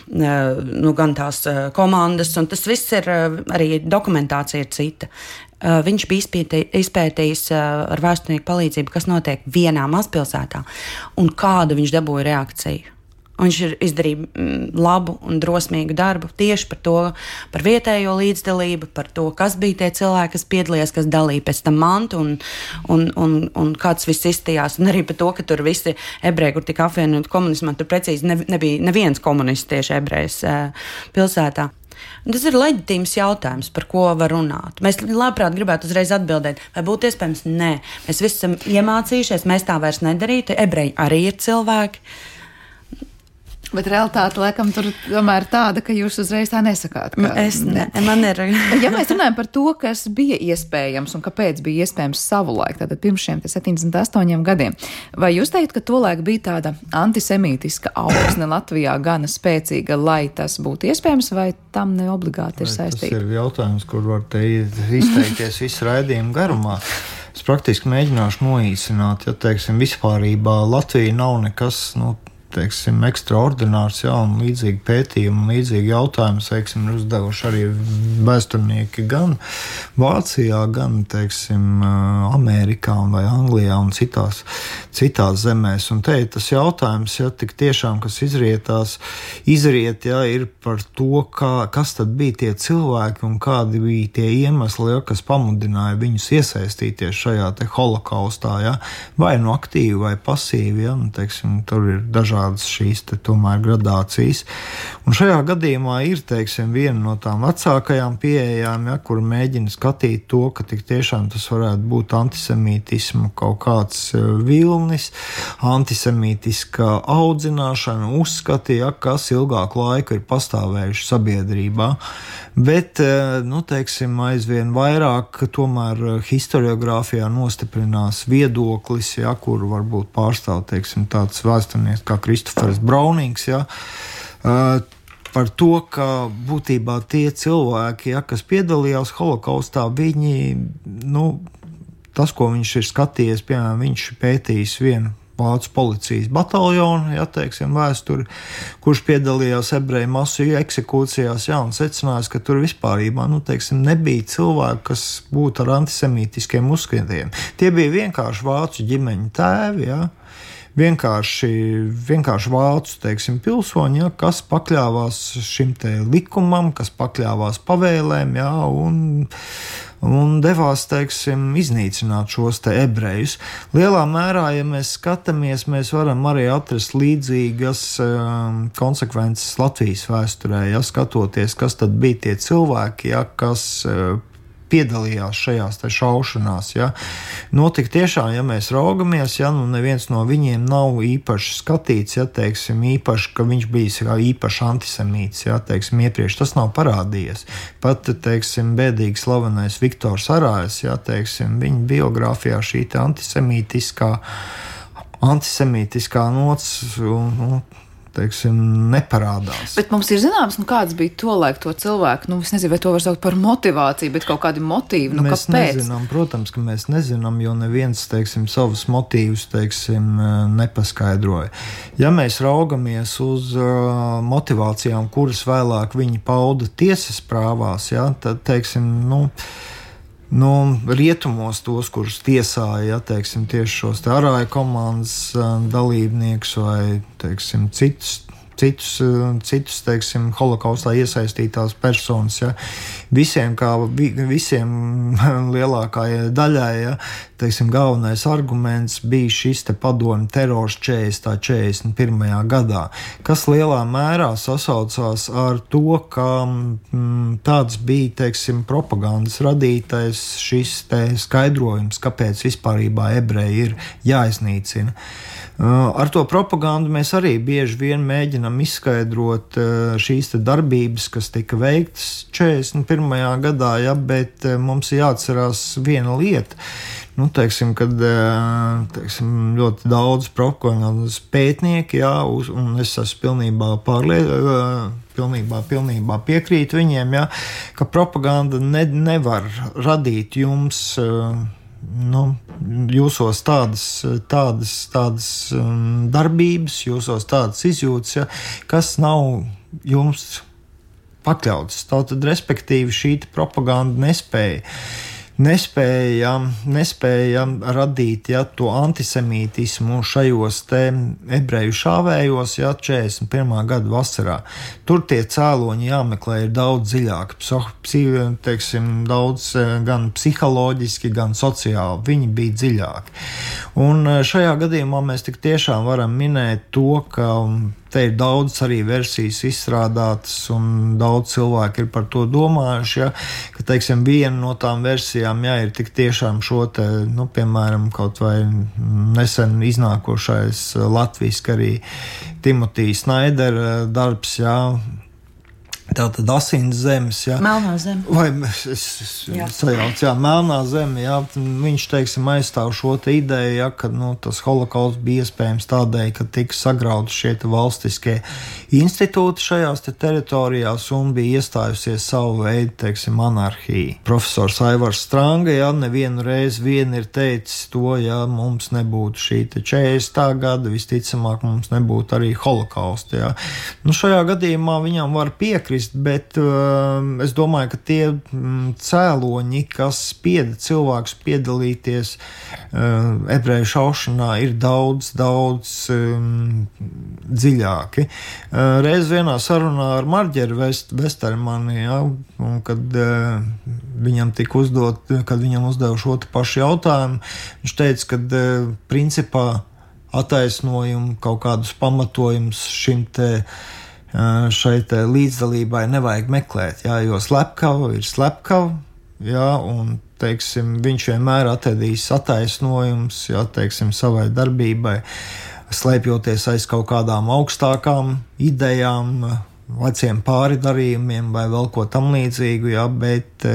gan tās komandas, un tas viss ir arī dokumentācija ir cita. Viņš bija izpētījis ar vēsturnieku palīdzību, kas notiek vienā mazpilsētā un kādu viņš dabūja reakciju. Un viņš ir izdarījis labu un drosmīgu darbu tieši par to, par vietējo līdzdalību, par to, kas bija tie cilvēki, kas piedalījās, kas dalīja pēc tam mantu un kāds viss izstījās. Un arī par to, ka tur visi ebreji, kur tika apvienoti komunismā, tur precīzi nebija neviens komunists tieši ebrejs pilsētā. Tas ir leģitīms jautājums, par ko var runāt. Mēs labprāt gribētu uzreiz atbildēt, vai būtu iespējams? Nē. Mēs visi esam iemācījušies, mēs tā vairs nedarītu. Ebreji arī ir cilvēki. Bet realitāte, laikam, tur tomēr tāda, ka jūs uzreiz tā nesakāt. Man ir. Ja mēs runājam par to, kas bija iespējams un kāpēc bija iespējams savulaik, tātad pirms šiem 78 gadiem, vai jūs teikt, ka tolaik bija tāda antisemītiska augsne Latvijā gana spēcīga, lai tas būtu iespējams, vai tam ne obligāti ir saistīti? Tas ir jautājums, kur var te izteikties visu raidījumu garumā. Es praktiski mēģināšu noīsināt, teiksim, vispārībā Latvija nav nekas, teiksim, ekstraordinārs, jā, un līdzīgi pētījumi, un līdzīgi jautājumi, teiksim, ir uzdevuši arī vēsturnieki gan Vācijā, gan, teiksim, Amerikā vai Anglijā un citās zemēs. Un te ir tas jautājums, ja tik tiešām, kas izriet, ja, ir par to, kas tad bija tie cilvēki un kādi bija tie iemesli, ja, kas pamudināja viņus iesaistīties šajā te holokaustā, ja, vai nu aktīvi vai pasīvi, ja, un, teiksim, tur ir dažādas šīs te tomēr gradācijas. Un šajā gadījumā ir, teiksim, viena no tām vecākajām pieejām, ja, kur mēģina skatīt to, ka tik tiešām tas varētu būt antisemītismu kaut kāds vilnis, antisemītiska audzināšana, uzskati, ja, kas ilgāku laiku ir pastāvējuši sabiedrībā. Bet, nu, teiksim, aizvien vairāk tomēr historiogrāfijā nostiprinās viedoklis, ja, kuru varbūt pārstāv, teiksim, tāds vēsturnieks kā Kristofers Braunings, ja, par to, ka būtībā tie cilvēki, ja, kas piedalījās holokaustā, viņi, nu, tas, ko viņš ir skatījies, piemēram, viņš pētījis vienu vācu policijas bataljonu, ja, teiksim, vēsturi, kurš piedalījās ebreju masu eksekūcijās, ja, un secinājās, ka tur vispārībā, nu, teiksim, nebija cilvēku, kas būtu ar antisemītiskiem uzskatiem. Tie bija vienkārši vācu ģimeņu tēvi, ja, vienkārši vācu, teiksim, pilsoņi, ja, kas pakļāvās šim te likumam, kas pakļāvās pavēlēm, ja, un devās, teiksim, iznīcināt šos te ebrejus. Lielā mērā, ja mēs skatāmies, mēs varam arī atrast līdzīgas konsekvences Latvijas vēsturē, ja, skatoties, kas tad bija tie cilvēki, ja, kas piedalījās šajās te šaušanās. Ja. Notika tiešām, ja mēs raugamies, ja, nu neviens no viņiem nav īpaši skatīts, ja, teiksim, īpaši, ka viņš bija īpaši antisemīts, ja, teiksim, iepriekš tas nav parādījies. Pat, teiksim, bēdīgi slavenais Viktors Arājs, ja, teiksim, viņa biogrāfijā šī te antisemītiskā nots teiksim, neparādās. Bet mums ir zināms, nu kāds bija tolaik to cilvēku, nu es nezinu, vai to var saukt par motivāciju, bet kaut kādi motīvi, nu mēs kāpēc? Nezinām, protams, ka mēs nezinām, jo neviens, teiksim, savus motīvus, teiksim, nepaskaidroja. Ja mēs raugamies uz motivācijām, kuras vēlāk viņi pauda tiesas prāvās, ja, tad, teiksim, rietumos tos, kurus tiesāja, ja, teiksim, tieši šos te Arāja komandas dalībniekus vai, teiksim, citus, teiksim, holokaustā iesaistītās personas, ja, visiem lielākajai daļai, ja, teiksim, galvenais arguments bija šis te padomju terors 41. gadā, kas lielā mērā sasaucās ar to, ka tāds bija, teiksim, propagandas radītais šis te skaidrojums, kāpēc vispārībā ebreji ir jāiznīcina. Ar to propagandu mēs arī bieži vien mēģinam izskaidrot šīs te darbības, kas tika veiktas 41. gadā, ja, bet mums jāatcerās viena lieta. Nu, teiksim, kad teiksim, ļoti daudz propagandas pētnieki, jā, un es esmu pilnībā piekrīt viņiem, jā, ka propaganda nevar radīt jums jūsos tādas darbības, jūsos tādas izjūtas, ja, kas nav jums pakļautas. Tātad, respektīvi, šī propaganda nespēja radīt, ja, to antisemītismu šajos te ebreju šāvējos, ja, 41. gada vasarā. Tur tie cēloņi jāmeklē ir daudz dziļāk, teiksim, daudz gan psiholoģiski, gan sociāli. Viņi bija dziļāki. Un šajā gadījumā mēs tik tiešām varam minēt to, ka te ir daudz arī versijas izstrādātas, un daudz cilvēki ir par to domājuši, ja, ka, teiksim, viena no tām versijām, ja, ir tik tiešām šo te, piemēram, kaut vai nesen iznākošais latviski arī Timotija Snaidera darbs, ja, Tātad asins zemes, jā. Melnā zeme. Vai es sajaucu, jā, melnā zeme, jā. Viņš, teiksim, aizstāv šo te ideju, jā, ka, tas holokausts bija iespējams tādēļ, ka tika sagrauti šie te valstiskie institūti šajās te teritorijās un bija iestājusies savu veidu, teiksim, anarhija. Profesors Aivars Stranga, jā, nevienu reizi ir teicis to, ja mums nebūtu šī te 40. gada, visticamāk mums nebūtu arī holokausta, jā. Šajā gadījumā viņam var piekrist, bet es domāju, ka tie cēloņi, kas spieda cilvēkus piedalīties ebreju šaušanā, ir daudz dziļāki. Reiz vienā sarunā ar Marģeru Vestermani, ja, kad viņam tika kad viņam uzdeva šo pašu jautājumu, viņš teica, ka principā attaisnojumu, kaut kādus pamatojumus šai līdzdalībai nevajag meklēt, jā, jo slepkava ir slepkava, jā, un, teiksim, viņš vienmēr atradīs attaisnojums, jā, teiksim, savai darbībai, slēpjoties aiz kaut kādām augstākām idejām, veciem pāridarījumiem vai vēl ko tam līdzīgu, jā, bet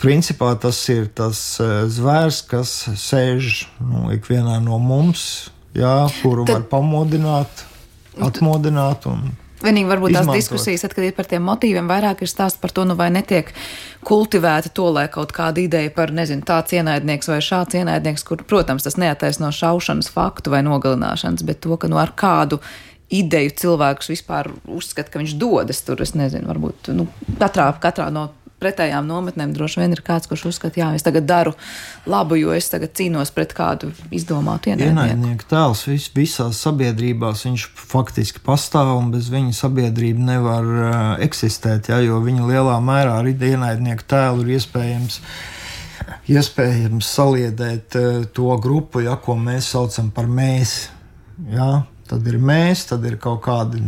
principā tas ir tas zvērs, kas sēž ikvienā no mums, jā, kuru var pamodināt, atmodināt un vienīgi varbūt tās izmantot. diskusijas, kad ir par tiem motīviem, vairāk ir stāsts par to, vai netiek kultivēta to, lai kaut kāda ideja par, tāds ienaidnieks vai šāds ienaidnieks, kur, protams, tas neattaisno šaušanas faktu vai nogalināšanas, bet to, ka ar kādu ideju cilvēkus vispār uzskata, ka viņš dodas tur, es nezinu, varbūt, katrā no pretējām nometnēm droši vien ir kāds, kurš uzskata, jā, es tagad daru labu, jo es tagad cīnos pret kādu izdomātu ienaidnieku tēls visās sabiedrībās, viņš faktiski pastāv un bez viņa sabiedrība nevar eksistēt, jā, jo viņa lielā mērā arī ienaidnieku tēlu ir iespējams saliedēt to grupu, ja, ko mēs saucam par mēs, jā, tad ir mēs, tad ir kaut kādi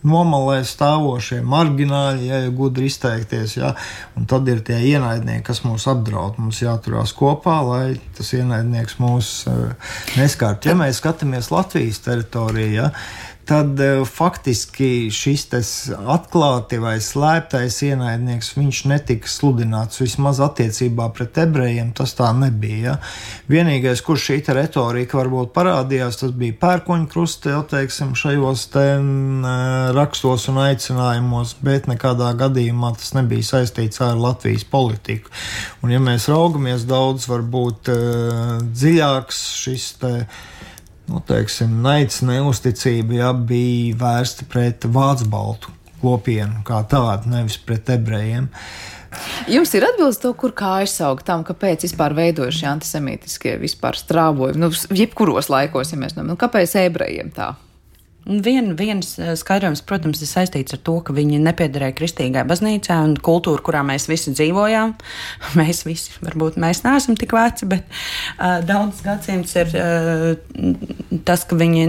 nomalē stāvošie margināļi, ja gudri izteikties, ja, un tad ir tie ienaidnieki, kas mūs apdraud. Mums jāturās kopā, lai tas ienaidnieks mūs neskārt. Ja mēs skatāmies Latvijas teritorijā, ja, tad faktiski šis atklāti vai slēptais ienaidnieks, viņš netika sludināts, vismaz attiecībā pret ebrejiem tas tā nebija. Ja. Vienīgais, kur šī retorika varbūt parādījās, tas bija pērkoņkruste, jau teiksim, šajos rakstos un aicinājumos, bet nekādā gadījumā tas nebija saistīts ar Latvijas politiku. Un ja mēs raugamies daudz, varbūt dziļāks šis naids, neusticība, ja, bija vērsta pret vācu baltu kopienu kā tādu, nevis pret ebrejiem. Jums ir atbildes to, kur kājas aug tam, kāpēc vispār veidojas šie antisemītiskie vispār strāvojumi, jebkuros laikos, ja mēs domājam, kāpēc ebrejiem tā? Viens skaidrojums, protams, ir saistīts ar to, ka viņi nepiederēja kristīgai baznīcai un kultūru, kurā mēs visi dzīvojām. Mēs visi, varbūt mēs neesam tik veci, bet daudz gadsimts ir tas, ka viņi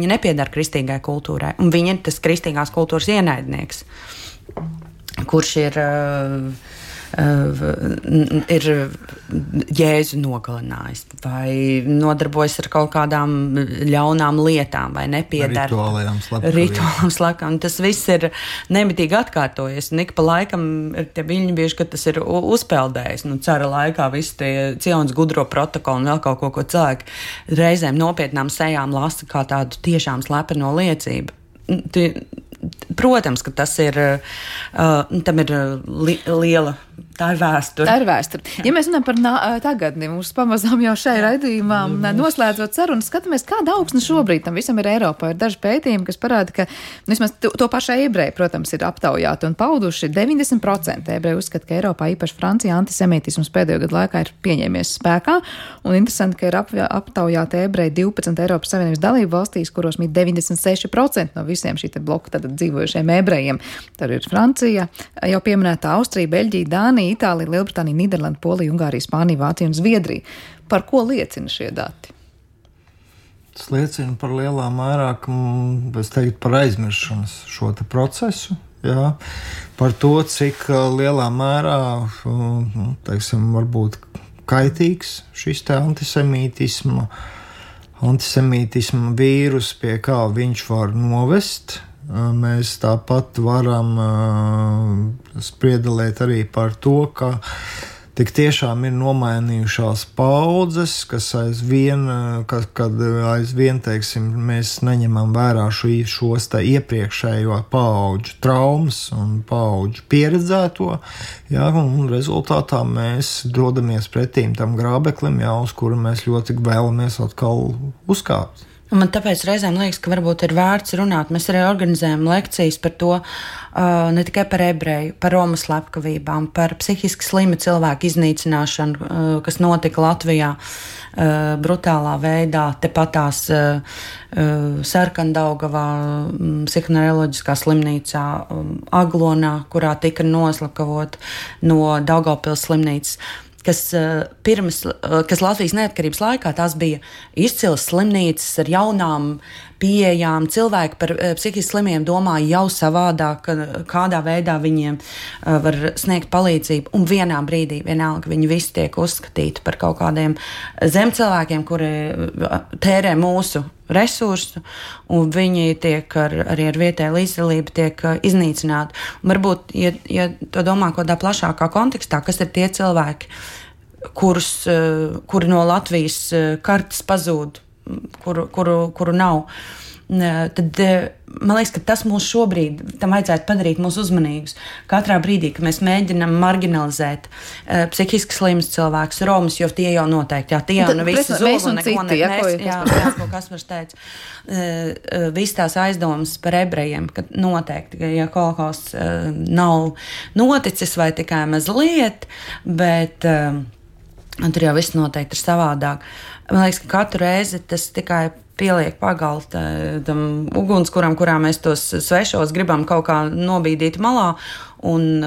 nepiedara kristīgai kultūrai. Un viņi ir tas kristīgās kultūras ienaidnieks, kurš ir Jēzu nogalinājis vai nodarbojas ar kaut kādām ļaunām lietām vai nepiedara rituālām slepkavībām. Tas viss ir nemitīgi atkārtojies, un ik pa laikam ir tie viļņi bieži, ka tas ir uzpeldējis. Cara laikā visi tie Cionas gudro protokoli un vēl kaut ko cilvēki reizēm nopietnām sejām lasa kā tādu tiešām slepeno liecību. Protams, ka tas ir, tam ir liela, tā ir vēsture. Tā ir vēsture. Ja mēs runājam par tagadni, mums pamazām jau šai raidījumā noslēdzot sarunu, skatāmies, kāda augsne šobrīd tam visam ir Eiropā. Ir daži pētījumi, kas parāda, ka vismaz to pašu ebreju, protams, ir aptaujāti un pauduši 90% ebreju uzskata, ka Eiropā, īpaši Francijā, antisemītisms pēdējo gadu laikā ir pieņēmies spēkā. Un interesanti, ka ir aptaujāti ebreji 12 Eiropas Savienības dalību valstīs, kuros mīt 96% no visiem šī bloka dzīvojušiem ebrejiem. Tad ir Francija, jau pieminētā Austrija, Beļģija, Dānija, Itālija, Lielbritānija, Nīderlanda, Polija, Ungārija, Spānija, Vācija un Zviedrija. Par ko liecina šie dati? Tas liecina par lielā mērā, es teiktu, par aizmiršanas šo procesu. Jā, par to, cik lielā mērā, teiksim, varbūt kaitīgs šis antisemītisma vīrus, pie kā viņš var novest mēs tāpat varam spriedelēt arī par to, ka tik tiešām ir nomainījušās paudzes, kas aizvien, teiksim, mēs neņemam vērā šos iepriekšējo paudžu traumas un paudžu pieredzēto, jā, un rezultātā mēs dodamies pretīm tam grābeklim, jā, uz kuru mēs ļoti vēlamies atkal uzkāpt. Man tāpēc reizēm liekas, ka varbūt ir vērts runāt. Mēs arī organizējam lekcijas par to, ne tikai par ebreju, par romu slepkavībām, par psihiski slimu cilvēku iznīcināšanu, kas notika Latvijā brutālā veidā, tepatās Sarkandaugavā, psihoneiroloģiskā slimnīcā, Aglonā, kurā tika noslapkavot no Daugavpils slimnīcas. Kas Latvijas neatkarības laikā tās bija izcilas slimnīcas ar jaunām pieejām. Cilvēki par psihiski slimiem domāja jau savādāk, kādā veidā viņiem var sniegt palīdzību. Un vienā brīdī, vienalga, viņi visi tiek uzskatīti par kaut kādiem zemcilvēkiem, kuri tērē mūsu resursu, un viņi tiek arī ar vietēju līdzdalību tiek iznīcināti. Un varbūt, ja to domā kādā plašākā kontekstā, kas ir tie cilvēki, kuri no Latvijas kartes pazūd, kuru nav, tad man liekas, ka tas mūs šobrīd, tam vajadzētu padarīt mūs uzmanīgus. Katrā brīdī, kad mēs mēģinam marginalizēt psihiski slimus cilvēkus, romus, jo tie jau noteikti, jā, tie jau nu visi zog un neko neko Kaspars teica. Viss tās aizdomas par ebrejiem, ka noteikti, ja holokausts nav noticis vai tikai mazliet, bet tur jau viss noteikti ir savādāk. Man liekas, ka katru reizi tas tikai pieliek pagaltu tam ugunskuram, kurā mēs tos svešos gribam kaut kā nobīdīt malā un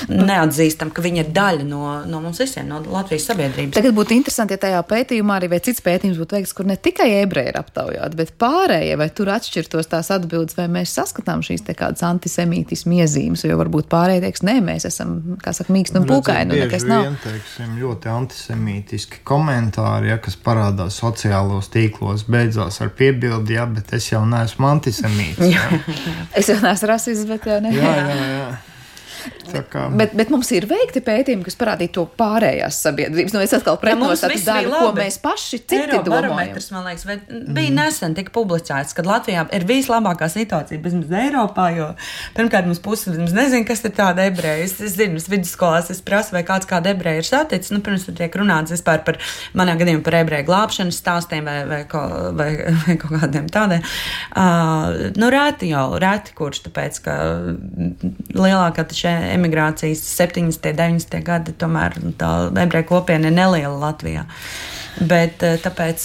neatzīstam, ka viņi ir daļa no mums visiem, no Latvijas sabiedrības. Tagad būtu interesanti, ja tajā pētījumā arī vai cits pētījums būtu veikts, kur ne tikai ebreji ir aptaujāti, bet pārējie, vai tur atšķirtos tās atbildes, vai mēs saskatām šīs te kādas antisemītismu iezīmes, jo varbūt pārējie teiks, nē, mēs esam, kā saka, mīksti un pūkaini, un nekas nav. Bieži vien, teiksim, ļoti antisemītiski komentāri, ja, kas parādās sociālos tīklos, beidzās ar piebildi, ja, bet es jau neesmu antisemīts. Ja. Es jau neesmu rasists, bet jau ne. Jā. Bet mums ir veikti pētījumi, kas parādīja to pārējās sabiedrības. Nu, es atkal pretnostatus daļu, ko mēs paši citi domājam. Man liekas, bija nesen tika publicēts, kad Latvijā ir vislabākā situācija bezmaz Eiropā, jo pirmkārt mums puses nezinu, kas ir tāda ebreja. Es zinu, vidusskolās es prasu, vai kāda ebreja ir saticis. Nu, pirms tur tiek runāts vispār par manā gadījumā par ebreju glābšanas stāstiem vai kaut kādiem tādiem. Reti kurš, tāpēc, ka lielākā emigrācijas 70. 90. gadi, tomēr tā ebreju kopiena ir neliela Latvijā. Bet tāpēc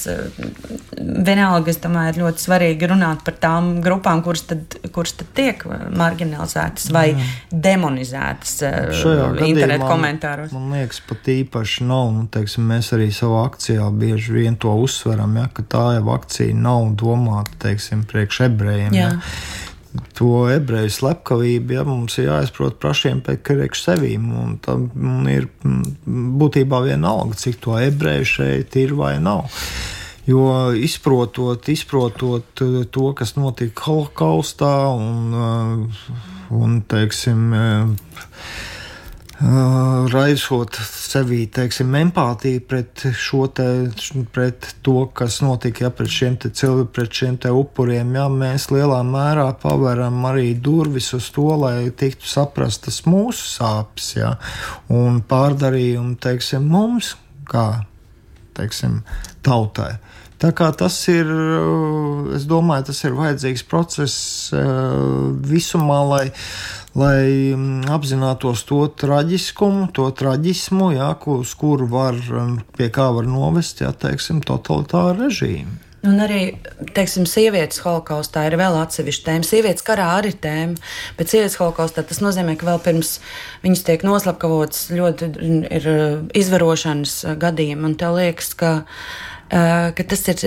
vienalga, es domāju, ir ļoti svarīgi runāt par tām grupām, kuras tad tiek marginalizētas vai demonizētas internetu komentāros. Man liekas, pat īpaši nav, teiksim, mēs arī savā akcijā bieži vien to uzsveram, ja, ka tā jau akcija nav domāta, teiksim, priekš ebrejiem. Ja. To ebreju slepkavību, ja, mums ir jāizprot pašiem priekš sevīm, un tam ir būtībā vienalga, cik to ebreju šeit ir vai nav. Jo izprotot to, kas notika holokaustā un teiksim, raisot sevī, teiksim, empātiju pret to, kas notika, ja, pret šiem te upuriem, ja, mēs lielā mērā paveram arī durvis uz to, lai tiktu saprastas mūsu sāpes, ja, un pārdarījumi, teiksim, mums, kā, teiksim, tautai. Tā kā tas ir, es domāju, tas ir vajadzīgs process visumā, lai apzinātos to traģiskumu, to traģismu, jā, uz kuru pie kā var novest, jā, teiksim, totalitāru režīmu. Un arī, teiksim, sievietes holokaustā ir vēl atsevišķa tēma. Sievietes karā arī tēma, bet sievietes holokaustā tas nozīmē, ka vēl pirms viņas tiek noslapkavotas ļoti ir izvarošanas gadījumi. Un tev liekas, ka ka tas ir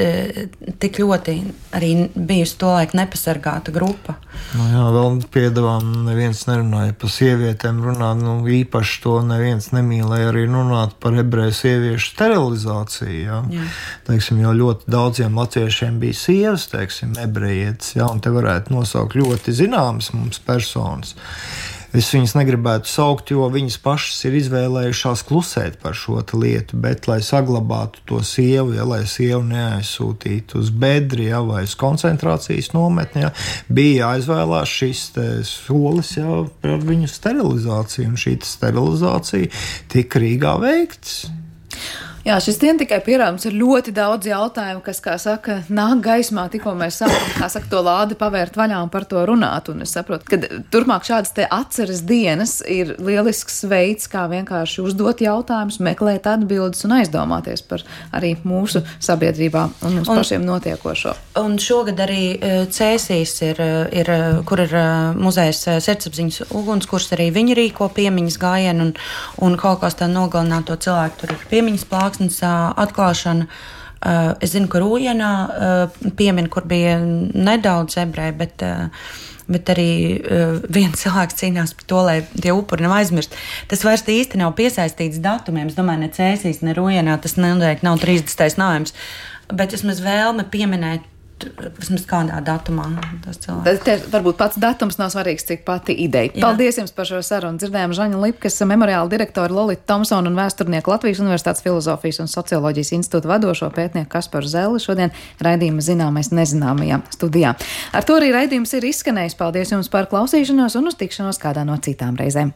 tik ļoti arī bijusi to laiku nepasargāta grupa. Nu jā, vēl piedevām neviens nerunāja par sievietēm runāt, īpaši to neviens nemīlēja arī runāt par ebreju sieviešu sterilizāciju, jā. Teiksim, jo ļoti daudziem latviešiem bija sievas, teiksim, ebrejietis, jā, un te varētu nosaukt ļoti zināmas mums personas. Es viņas negribētu saukt, jo viņas pašas ir izvēlējušās klusēt par šo lietu, bet, lai saglabātu to sievu, ja, lai sievu neaizsūtītu uz bedri, ja, vai uz koncentrācijas nometni, ja, bija jāizvēlās šis solis, ja, par viņu sterilizāciju, un šī sterilizācija tika Rīgā veikts. Jā, šis dien tikai pierādums ir ļoti daudz jautājumu, kas, kā saka, nāk gaismā, tikko mēs sākam, kā saka, to lādi pavērt vaļā un par to runāt. Un es saprotu, ka turpmāk šādas te atceres dienas ir lielisks veids, kā vienkārši uzdot jautājumus, meklēt atbildes un aizdomāties par arī mūsu sabiedrībā un mums pašiem notiekošo. Un šogad arī Cēsīs ir kur ir muzejs Sirdsapziņas ugunskurs, arī viņi rīko piemiņas gājienu un holokaustā nogalināto cilvēku. Tur ir piemiņas plāksnes atklāšana. Es zinu, ka Rūjienā piemin, kur bija nedaudz ebreji, bet arī viens cilvēks cīnās par to, lai tie upuri nav aizmirst. Tas vairs īsti nav piesaistīts datumiem. Es domāju, ne Cēsīs, ne Rūjienā tas noteikti nav 30. novembris, bet vismaz vēlme pieminēt vismaz kādā datumā tas cilvēks. Varbūt pats datums nav svarīgs, cik pati ideja. Jā. Paldies jums par šo sarunu. Dzirdējām Žaņu Lipkas, memoriāla direktori Lolitu Tomsonu un vēsturnieku Latvijas Universitātes Filozofijas un socioloģijas institūta vadošo pētnieku Kasparu Zelli šodien raidījuma Zināmais nezināmajā studijā. Ar to arī raidījums ir izskanējis. Paldies jums par klausīšanos un uz tikšanos kādā no citām reizēm.